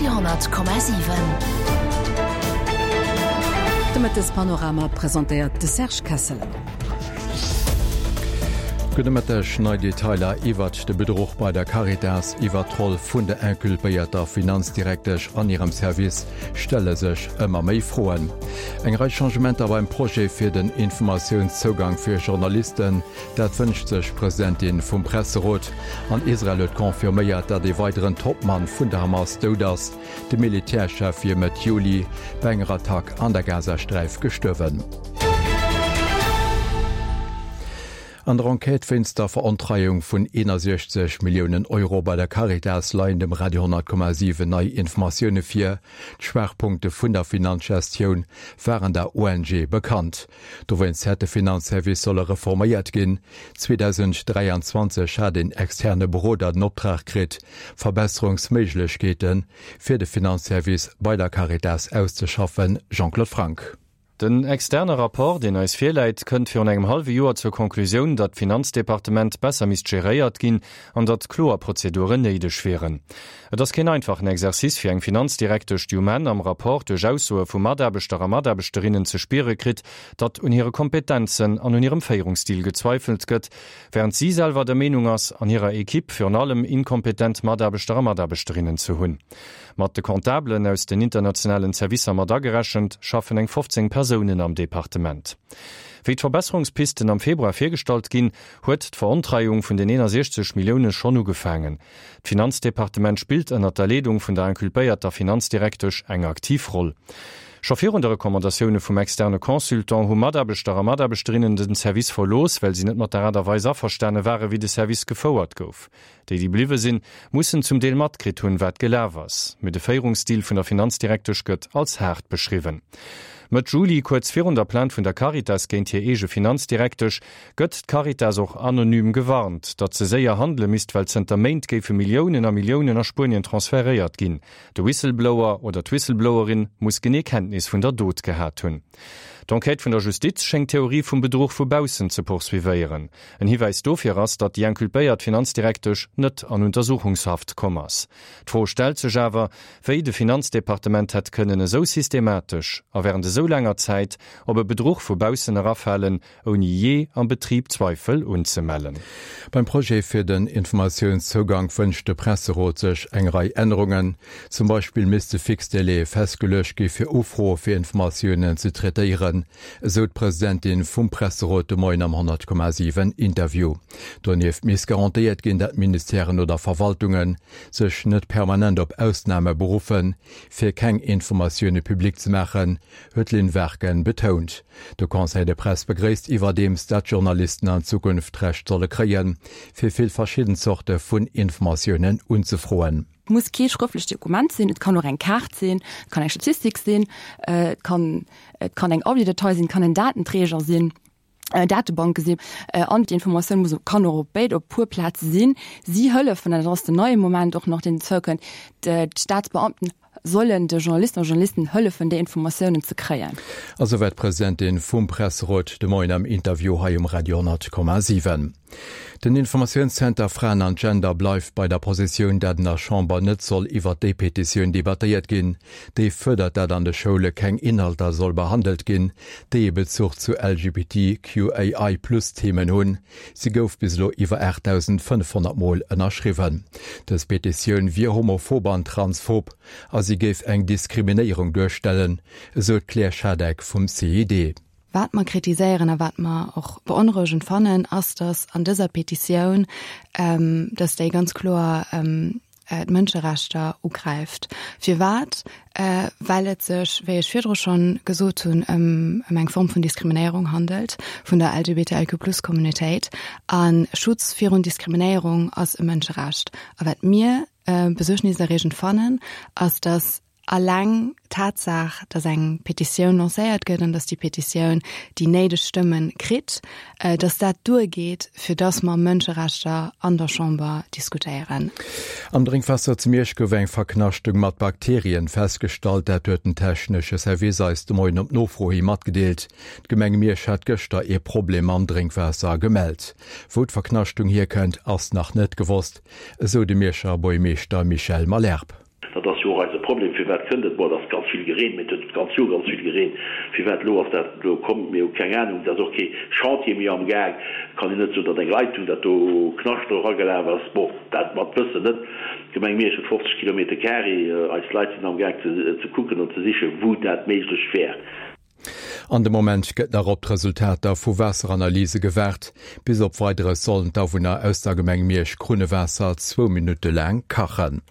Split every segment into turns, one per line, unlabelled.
Radio 10,7.
De Mëttespanorama presentéiert de Serge Kessel.
Gudde Mëtteg. Nei Detailer iwwert de Bedruch bei der Caritas, iwwert d'Roll vun der inculpéierter Finanzdirektesch an hirem Service stelle sech ëmmer méi Froen. Eng Rei Changementer beim Projet fir den Informatiounszougang fir Journalisten, Dat wënscht sech d'Presidentin vum Presserot. An Israel huet confirméiert, datt ee weideren Topmann vun der Hamas dout ass. De Militärchef wier Mëtt Juli bei enger Attack an der Gazasträif gestuerwen. An der Enquête wéinst der Verontreiung vun 61 Milliounen Euro bei der Caritas leien dem Radio 10,7 nei Informatioune vir. D'Schwaachpunkte vun der Finanzgestioun waren der ONG bekannt. Dowéinst hätt de Finanzservice solle reforméiert ginn. 2023 hat een externe Beroder den Optrag kritt, Verbesserungsméiglechkeete fir de Finanzservice bei der Caritas auszeschaffen. Jean-Claude Franck.
Den externe Rapport, deen eis virläit, kënnt virun engem hallwe Joer zur Konklusioun, datt d'Finanzdepartement besser misst geréiert ginn an datt kloer Prozeduren néideg wieren. Et ass keen einfachen Exercice fir eng Finanzdirektesch, déi um Enn am Rapport duerch Aussoe vu Mataarbechter a Mataarbechterinnen ze spiere kritt, datt un hire Kompetenzen an un hirem Féierungsstil gezweifelt gëtt, wärend si selwer der Meenung ass, an hirer Equipe virun allem inkompetent Mataarbechter a Mataarbechterinnen ze hunn. Mat de Comptabelen aus den internationalen Servicer mat agerechent, schaffen eng 15 Persounen am Departement. Wéi d'Verbesserungspisten am Februar virgestallt ginn, huet d'Verontreiung vun den 61 Millioune schonn ugefaangen. D'Finanzdepartement spillt ënnert der Leedung vun der inculpéierter Finanzdirektesch eng aktiv Roll. Scho virun de Recommandatioune vum externe Consultant hu Mataarbechter a Mataarbechterinnen den Service verlooss, well si net mat der Aart a Weis averstane ware wéi de Service gefouert gouf. Déi, déi bliwwe sinn, mussen zum Deel matkritt hunn, wat gelaf ass. Mee de Féierungsstil vun der Finanzdirektesch gëtt als haart beschriwwen. Mëtt Juli, kuerz virun der Plainte vun der Caritas géint hir eege Finanzdirektesch, gëtt d'Caritas och anonym gewarnt, datt se séier handele misst, well zënter Méint géife Milliounen a Milliounen a Spuenien transferéiert ginn. De Whistleblower oder d'Whistleblowerin muss genee Kenntnis vun der Dot gehat hunn. D'Enquête vun der Justiz schéngt d'Theorie vum Bedruch vu baussen ze poursuivéieren. En Hiwäis dofir ass, datt déi inculpéiert Finanzdirektesch net an Untersuchungshaft komm ass. D'Fro stellt sech awer, wéi de Finanzdepartement hätt kënnen esou systematesch a wärend esou laanger Zäit op e Bedruch vu baussen erafalen, ouni jee am Betrib Zweifel unzemellen.
Beim Projet fir den Informatiounszougank wënscht de Presserot sech eng Rei Ännerungen. Zum Beispill misste fix Délaië festgeluecht gi fir Ufroe fir Informatiounen ze traitéieren, esou d'Presidentin vum Presserot de Moien am 100,7 Interview. Donieft misst garantéiert ginn, dat Ministèren oder Verwaltunge sech net permanent op Ausname beruffen, fir keng Informatioune public ze maachen, huet d'Lynn Warken betount. De Conseil de Presse begréisst iwwerdeems, dat d'Journalisten an Zukunft d'Recht solle kréien, fir vill verschidden Zorte vun Informatiounen unzefroen.
Et muss kee schrëftlecht Dokument sinn, et kann och eng Kaart sinn, et kann eng Statistik sinn, et kann et kann eng Audiodatei sinn, et kann en Datenträger sinn, Datebanke sinn. An d'Informatioun muss kann och op béid op puer Plaze sinn. Si hëllefen, an dat ass den neie Moment och nach, deen derzou kënnt, d'Staatsbeamten sollen de Journalisten a Journalisten hëllefen, déi Informatiounen ze kréien.
A souwäit d'Presidentin vum Presserot de Moien am Interview hei um Radio 10,7. Den Informatiounszenter Fraen an Gender bleift bei der Positioun, dat an der Chamber net soll iwwert déi Petitioun debattéiert ginn, déi fuerdert, dat an de Schoule keng Inhalter soll behandelt ginn, déi e Bezuch zu LGBTQAI-Plus-Themen hunn. Si gouf bis elo iwwer 8.500 Mol ënnerschriwwen. Dës Petitioun wier homophob an transphob a si géif eng Diskriminéierung duerstellen, esou d'Claire Schadeck vum CID.
Wat mer kritiséieren a wat mer och beonrouegend fannen, ass, datt an dëser Petitioun, datt déi ganz kloer d'Mënscherechter ugräift. Firwat? Well et sech, wéi ech virdru schonn gesot hunn, ëm eng Form vun Diskriminéierung handelt vun der LGBTIQ-Plus-Communautéit. A Schutz virun Diskriminéierung ass e Mënscherecht. A wat mir besuergniserreegend fannen, ass, datt Alleng d'Tatsaach, datt eng Petitioun lancéiert gëtt an datt déi Petitioun déi néideg Stëmme kritt, datt dat duergeet, fir datt mer Mënscherechter an der Chamber diskutéieren.
Am Drénkwaasser zu Miersch gouf eng Verknaschtung mat Bakterien festgestallt. Dat huet den technesche Service eis de Moien op Nofro hi matgedeelt. D'Gemeng Miersch hat gëschter ee Problem mam Drénkwaasser gemellt. Wou d'Verknaschtung hierkënnt, ass nach net gewosst, esou de Mierscher Buergmeeschter Michel Malherbe.
Dat ass jo och eise Problem. Firwat kënnt et? Bon, et ass ganz vill gereent, mee et huet d'ganz Joer ganz vill gereent. Firwat elo ass dat elo komm? Mir hu keng Anung. Et ass och kee Chantier méi am Gaang. Et kann een net soen, datt eng Leitung, datt do Knascht dru eragelaf ass. Bon, dat mat wëssen net. D'Gemeng Miersch huet 50 Kilometer carré. Eis Leit sinn am Gaang ze kucken an ze sichen, wou dat méiglech wär.
An de Moment gëtt nach op d'Resultater vu Waasseranalyse gewaart. Bis op Weideres sollen d'Awunner aus der Gemeng Miersch Krunnewaasser zwou Minutte laang kachen.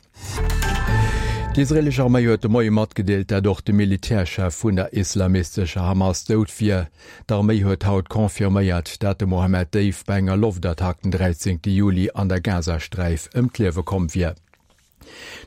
D'israeelesch Arméi huet de Moie matgedeelt, dat och de Militärchef vun der islamistescher Hamas dout wier. D'Arméi huet haut confirméiert, dat de Mohammed Deif bei enger Loftattack den 13 Juli an der Gazasträif ëm d'Liewe komm wier.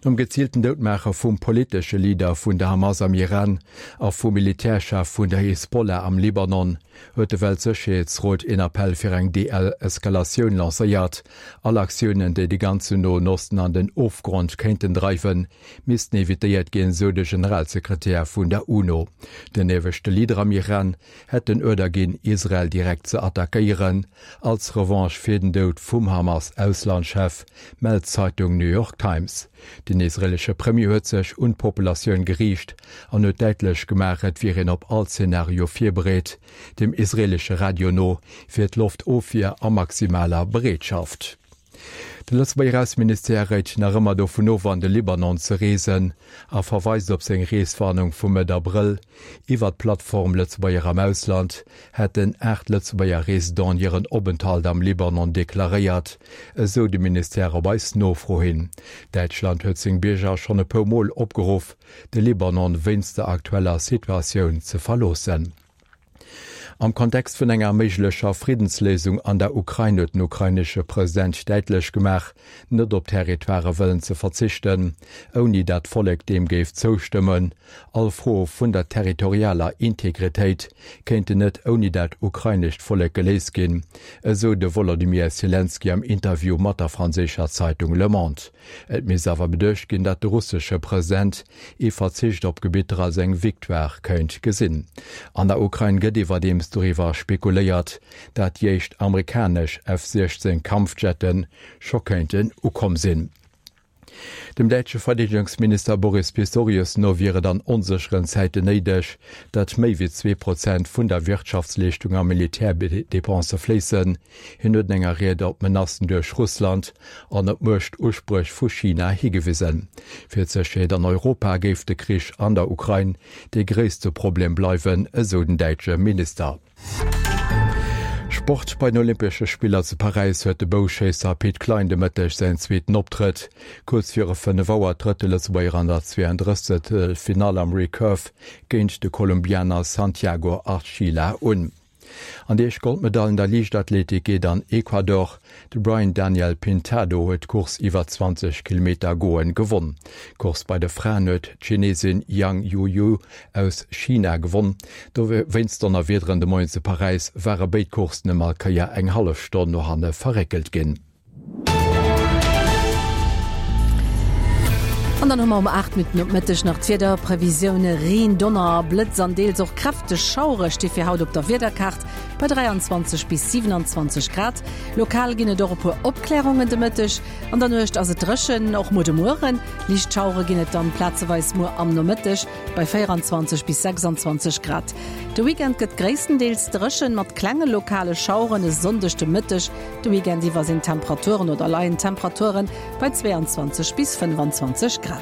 Nom geziilten Doudmaache vum politesche Leader vun der Hamas am Iran a vum Militärchef vun der Hisbollah am Libanon huet de Weltsécherheetsrot een Appell fir eng Deeskalatioun lancéiert. All Aktiounen, déi de ganzen Noen Osten an den Ofgrond kéinten dreiwen, missten evitéiert ginn, sou de Generalsekretär vun der UNO. Den ieweschte Leader am Iran hätt den Uerder ginn, Israel direkt ze attackéieren, als Revanche fir den Doud vum Hamas-Auslandschef, mellt d'Zeitung New York Times. Den israeelesche Premier huet sech un d'Populatioun geriicht an huet däitlech gemaach, et wier een op all Zenario virbereet. Dem israeelesche Radio no wier d'Loftofwier a maximaler Bereetschaft. De Lëtzebuerger Ausseministère réit nach ëmmer dovun of, an de Libanon ze reesen a verweist op seng Reeswarnung vu Mëtt Abrëll. Iwwer d'Plattform Lëtzebuerger am Ausland hätten 8 Lëtzebuerger Residenten hiren Openthalt am Libanon deklaréiert, esou de Ministère op eis Nofro hin. Däitschland huet seng Bierger schonn e puer Mol opgeruff, de Libanon wéinst der aktueller Situatioun ze verloossen. Am Kontext vun enger méiglecher Friddensléisung an der Ukrain huet den ukrainesche President däitlech gemaach, net op Territoirë wëllen ze verzichten, ouni dat d'Vollek deem géif zoustëmmen. All Fro vun der territorialer Integritéit kéinten net ouni dat ukrainescht Vollek geléist ginn, esou de Wolodymyr Selenskyj am Interview mat der franséischer Zeitung Le Monde. Et misst awer beduecht ginn, datt de russesche President ee Verzicht op Gebitter als eng Victoire kéint gesinn. An der Ukrain gëtt iwwerdeems doriwwer spekuléiert, dat déi éischt amerikanesch F-16 Kampfjette scho kéinten ukomm sinn. Dem däitsche Verdeedegungsminister Boris Pistorius no wier et an onsécheren Zäiten néideg, datt méi wéi 2% vun der Wirtschaftsleeschtung a Militärdepense fléissen. Hien huet an enger Ried op d'Menacen duerch Russland an op d'Muechtuspréch vu China higewisen. Fir d'Sécherheet an Europa géif de Krich an der Ukrain dee gréisste Problem bleiwen, esou den däitsche Minister. Sport, Bei den Olympesche Spiller zu Paräis huet de Bouschéisser Pit Klein de Mëtteg säin zweeten Optrëtt. Kuerz viru 5 Auer trëtt de Lëtzebuerger an der 32. Finall am Recurve géint de Kolumbianer Santiago Archila un. An déi éischt Goldmedail an der Liichtathletik geet an Ecuador. De Brian Daniel Pintado huet d'Course iwwer 20 Kilometer goen gewonn. D'Course bei de Fraen huet d'Chinesin Yang Youyou aus China gewonn. Dowéinst Donnerwiederen de Moien zu Paräis ware béid Courssen ëm all Kéier eng hallef Stonn no hanne verréckelt ginn.
An dann hu mer um 8 Minutten op Mëtteg nach d'Wiederprevisioune, Reen, Donner, Blëtz an deels och kräfteg Schauere sti fir haut op der Wiederkaart bei 23 bis 27 Grad. Lokal ginn et och e puer Opklärungen de Mëtteg. An der Nuecht ass et dréchen, och muer de Mueren. Liicht Schauere ginn et dann plazeweis muer am Nomëtteg bei 24 bis 26 Grad. De Weekend gëtt gréisstendeels dréchen mat klenge lokale Schaueren. E Sonndeg de Mëtteg De Weekend iwwer sinn d'Temperaturen oder leien d'Temperaturen bei 22 bis 25 Grad.